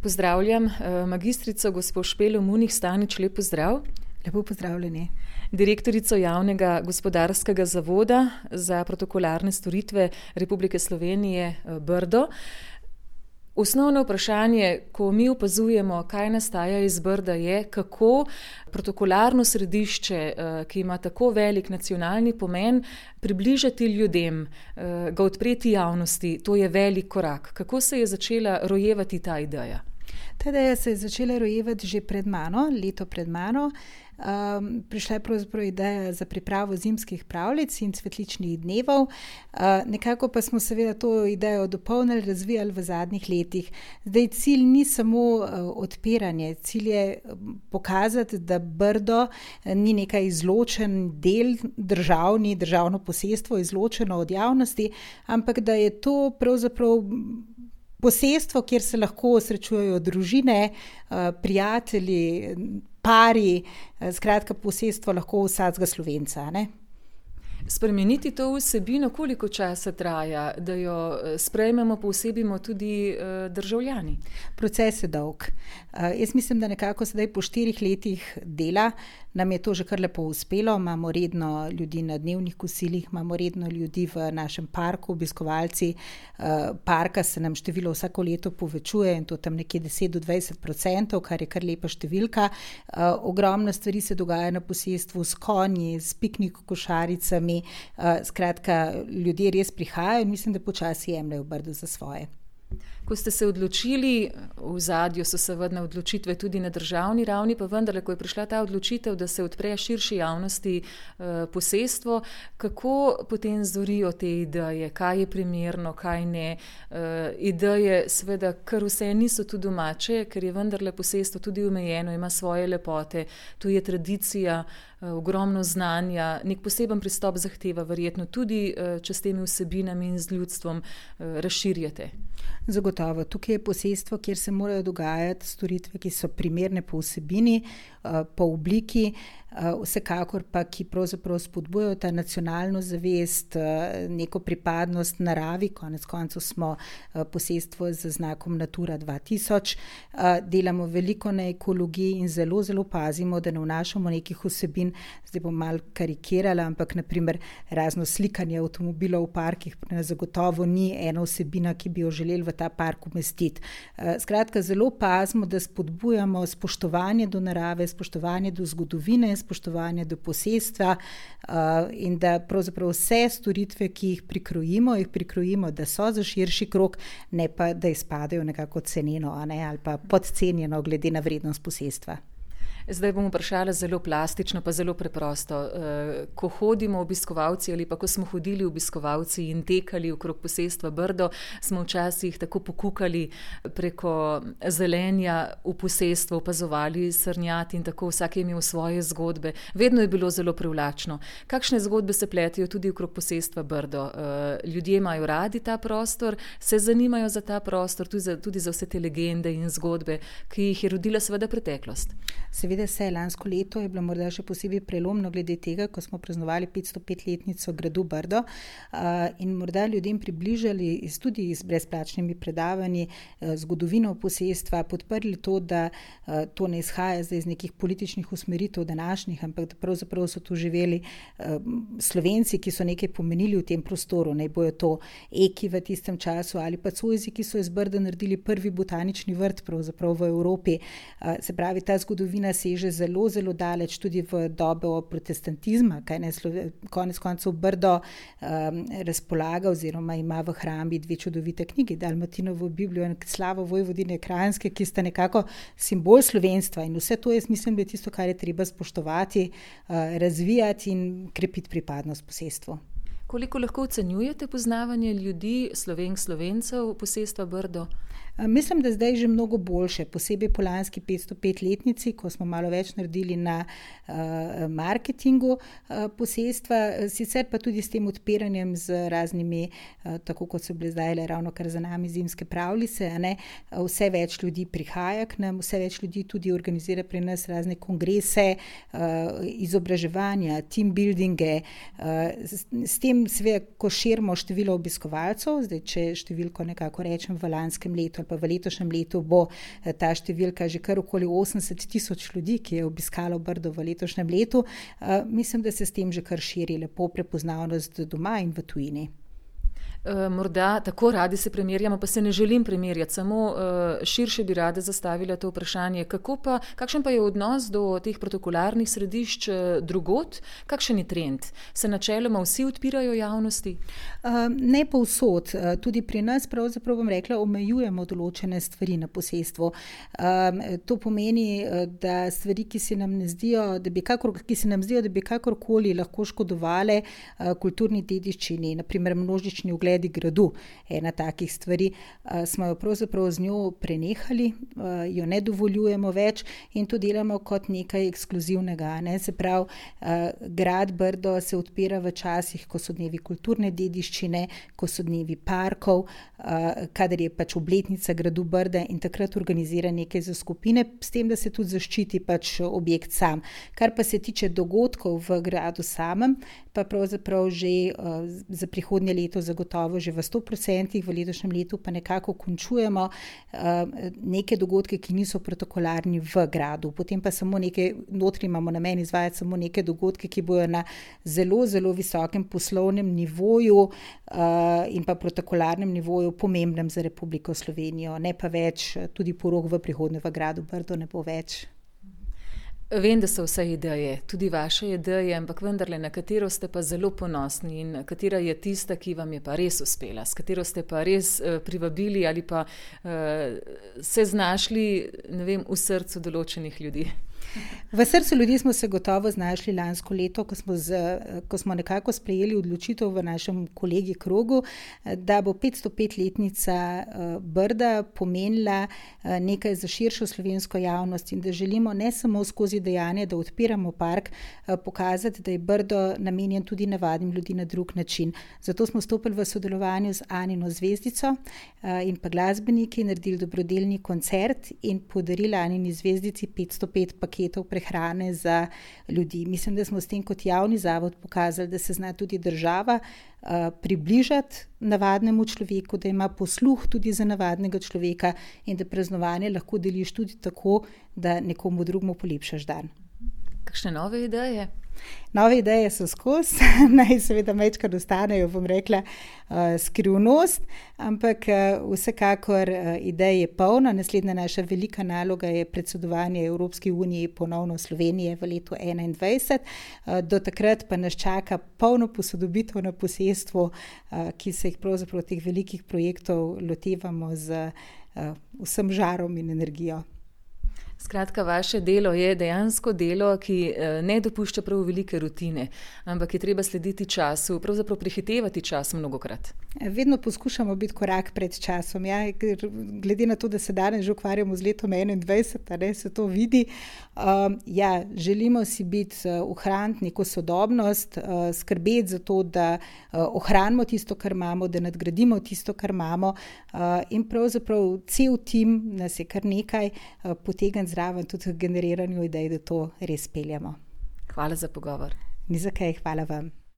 Pozdravljam magistrico gospo Špelo Munih Stanič, lep pozdrav. Lepo pozdravljeni. Direktorico Javnega gospodarskega zavoda za protokolarne storitve Republike Slovenije Brdo. Osnovno vprašanje, ko mi opazujemo, kaj nastaja iz Brda, je, kako protokolarno središče, ki ima tako velik nacionalni pomen, približati ljudem, ga odpreti javnosti. To je velik korak. Kako se je začela rojevati ta ideja? Ta ideja se je začela rojevati že pred mano, leto pred mano. Prišla je pravzaprav ideja za pripravo zimskih pravljic in cvetličnih dnevov. Nekako pa smo seveda to idejo dopolnili, razvijali v zadnjih letih. Zdaj cilj ni samo odpiranje, cilj je pokazati, da Brdo ni nekaj izločen del, državno posestvo, izločeno od javnosti, ampak da je to pravzaprav posestvo, kjer se lahko srečujejo družine, prijatelji, pari, skratka posestvo lahko vsakega Slovenca, ne? Spremeniti to vsebino, koliko časa traja, da jo sprejmemo, povsebimo tudi državljani? Proces je dolg. Jaz mislim, da nekako sedaj po 4 letih dela nam je to že kar lepo uspelo. Imamo redno ljudi na dnevnih kosilih, imamo redno ljudi v našem parku, obiskovalci parka se nam število vsako leto povečuje in to tam nekje 10-20%, kar je kar lepa številka. Ogromno stvari se dogaja na posestvu s konji, s piknik košaricami. Skratka, ljudje res prihajajo in mislim, da počasi jemljejo Brdo za svoje. Ko ste se odločili, v ozadju so seveda odločitve tudi na državni ravni, pa vendarle, ko je prišla ta odločitev, da se odpre širši javnosti posestvo, kako potem zorijo te ideje, kaj je primerno, kaj ne? Ideje seveda kar vse niso tu domače, ker je vendarle posestvo tudi omejeno, ima svoje lepote, tu je tradicija, ogromno znanja, nek poseben pristop zahteva verjetno tudi, če s temi vsebinami in z ljudstvom razširjate. Zagotovo. Tukaj je posestvo, kjer se morajo dogajati storitve, ki so primerne po vsebini, po obliki, vsekakor pa, ki pravzaprav spodbujajo ta nacionalno zavest, neko pripadnost naravi, konec koncev smo posestvo z znakom Natura 2000, delamo veliko na ekologiji in zelo, zelo pazimo, da ne vnašamo nekih vsebin, zdaj bom malo karikirala, ampak naprimer razno slikanje avtomobilov v parkih zagotovo ni ena vsebina, ki bi jo želeli v ta park umestiti. Skratka, zelo pazimo, da spodbujamo spoštovanje do narave, spoštovanje do zgodovine, spoštovanje do posestva in da pravzaprav vse storitve, ki jih prikrojimo, da so za širši krog, ne pa, da izpadajo nekako ceneno, ali pa podcenjeno glede na vrednost posestva. Zdaj bom vprašala zelo plastično, pa zelo preprosto. Ko hodimo obiskovalci ali pa ko smo hodili obiskovalci in tekali okrog posestva Brdo, smo včasih tako pokukali preko zelenja v posestvo, opazovali srnjad in tako vsak je imel svoje zgodbe. Vedno je bilo zelo privlačno. Kakšne zgodbe se pletejo tudi okrog posestva Brdo? Ljudje imajo radi ta prostor, se zanimajo za ta prostor, tudi za vse te legende in zgodbe, ki jih je rodila seveda preteklost. Seveda se, lansko leto je bilo morda še posebej prelomno glede tega, ko smo praznovali 505-letnico gradu Brdo in morda ljudem približali tudi z brezplačnimi predavanji zgodovino posestva, podprli to, da to ne izhaja zdaj iz nekih političnih usmeritev današnjih, ampak da pravzaprav so tu živeli Slovenci, ki so nekaj pomenili v tem prostoru, naj bojo to Eki v tistem času ali pa Cojzi, ki so iz Brda naredili prvi botanični vrt pravzaprav v Evropi. Se pravi, ta zgodovina seže zelo, zelo daleč tudi v dobo protestantizma, konec koncev Brdo razpolaga oziroma ima v hrambi 2 čudovite knjigi, Dalmatinovo Biblijo in Slavo Vojvodine Kranjske, ki sta nekako simbol slovenstva in vse to jaz mislim, da je tisto, kar je treba spoštovati, razvijati in krepiti pripadnost posestvu. Koliko lahko ocenjujete poznavanje ljudi, Slovenk, Slovencev, posestva Brdo? Mislim, da zdaj že mnogo boljše, posebej po lanski 505-letnici, ko smo malo več naredili na marketingu posestva, sicer pa tudi s tem odpiranjem z raznimi, tako kot so bile zdaj ravno kar za nami zimske pravljice, vse več ljudi prihaja k nam, vse več ljudi tudi organizira pri nas razne kongrese, izobraževanja, team buildinge, s tem seveda, ko širimo število obiskovalcev, zdaj če številko nekako rečem v lanskem letu ali pa v letošnjem letu bo ta številka že kar okoli 80 tisoč ljudi, ki je obiskalo Brdo v letošnjem letu. Mislim, da se s tem že kar širi lepo prepoznavnost doma in v tujini. Morda tako radi se primerjamo, pa se ne želim primerjati, samo širše bi rada zastavila to vprašanje. Kakšen pa je odnos do teh protokolarnih središč drugod? Kakšen je trend? Se načeloma vsi odpirajo javnosti? Ne povsod. Tudi pri nas, pravzaprav bom rekla, omejujemo določene stvari na posestvu. To pomeni, da stvari, ki se nam zdijo, da bi kakorkoli lahko škodovale kulturni dediščini, naprimer množični ogledi gradu, ena takih stvari, smo jo pravzaprav z njo prenehali, jo ne dovoljujemo več in to delamo kot nekaj ekskluzivnega. Se pravi, grad Brdo se odpira v časih, ko so dnevi kulturne dediščine, ko so dnevi parkov, kadar je pač obletnica gradu Brda in takrat organizira nekaj za skupine, s tem, da se tudi zaščiti pač objekt sam. Kar pa se tiče dogodkov v gradu samem, pa pravzaprav že za prihodnje leto zagotovo že v 100%, v letošnjem letu pa nekako končujemo neke dogodke, ki niso protokolarni v gradu. Potem pa samo notri imamo namen izvajati samo neke dogodke, ki bojo na zelo, zelo visokem poslovnem nivoju in pa protokolarnem nivoju pomembnem za Republiko Slovenijo. Ne pa več, tudi porok v prihodnje v gradu Brdo ne bo več. Vem, da so vse ideje, tudi vaše ideje, ampak vendarle, na katero ste pa zelo ponosni in katera je tista, ki vam je pa res uspela, s katero ste pa res privabili ali pa se znašli, ne vem, v srcu določenih ljudi. V srcu ljudi smo se gotovo znašli lansko leto, ko smo nekako sprejeli odločitev v našem kolegi krogu, da bo 505-letnica Brda pomenila nekaj za širšo slovensko javnost in da želimo ne samo skozi dejanje, da odpiramo park, pokazati, da je Brdo namenjen tudi navadnim ljudi na drug način. Zato smo stopili v sodelovanju z Anino zvezdico in pa glasbeniki, naredili dobrodelni koncert in podarili Anini zvezdici 505 paketov prehrane za ljudi. Mislim, da smo s tem kot javni zavod pokazali, da se zna tudi država približati navadnemu človeku, da ima posluh tudi za navadnega človeka in da praznovanje lahko deliš tudi tako, da nekomu drugemu polepšaš dan. Kakšne nove ideje? Nove ideje so skozi, naj seveda majčkrat ostanejo, bom rekla, skrivnost, ampak vsekakor idej je polno. Naslednja naša velika naloga je predsedovanje Evropski uniji ponovno Slovenije v letu 2021. Do takrat pa nas čaka polno posodobitev na posestvu, ki se jih pravzaprav teh velikih projektov lotevamo z vsem žarom in energijo. Skratka, vaše delo je dejansko delo, ki ne dopušča prav velike rutine, ampak je treba slediti času, pravzaprav prehitevati čas mnogokrat. Vedno poskušamo biti korak pred časom, ja, ker glede na to, da se danes že ukvarjamo z letom 2021, se to vidi. Želimo si ohraniti neko sodobnost, skrbeti za to, da ohranimo tisto, kar imamo, da nadgradimo tisto, kar imamo in pravzaprav cel tim nas je kar nekaj potegniti zraven tudi v generiranju idej, da to res peljemo. Hvala za pogovor. Ni za kaj, hvala vam.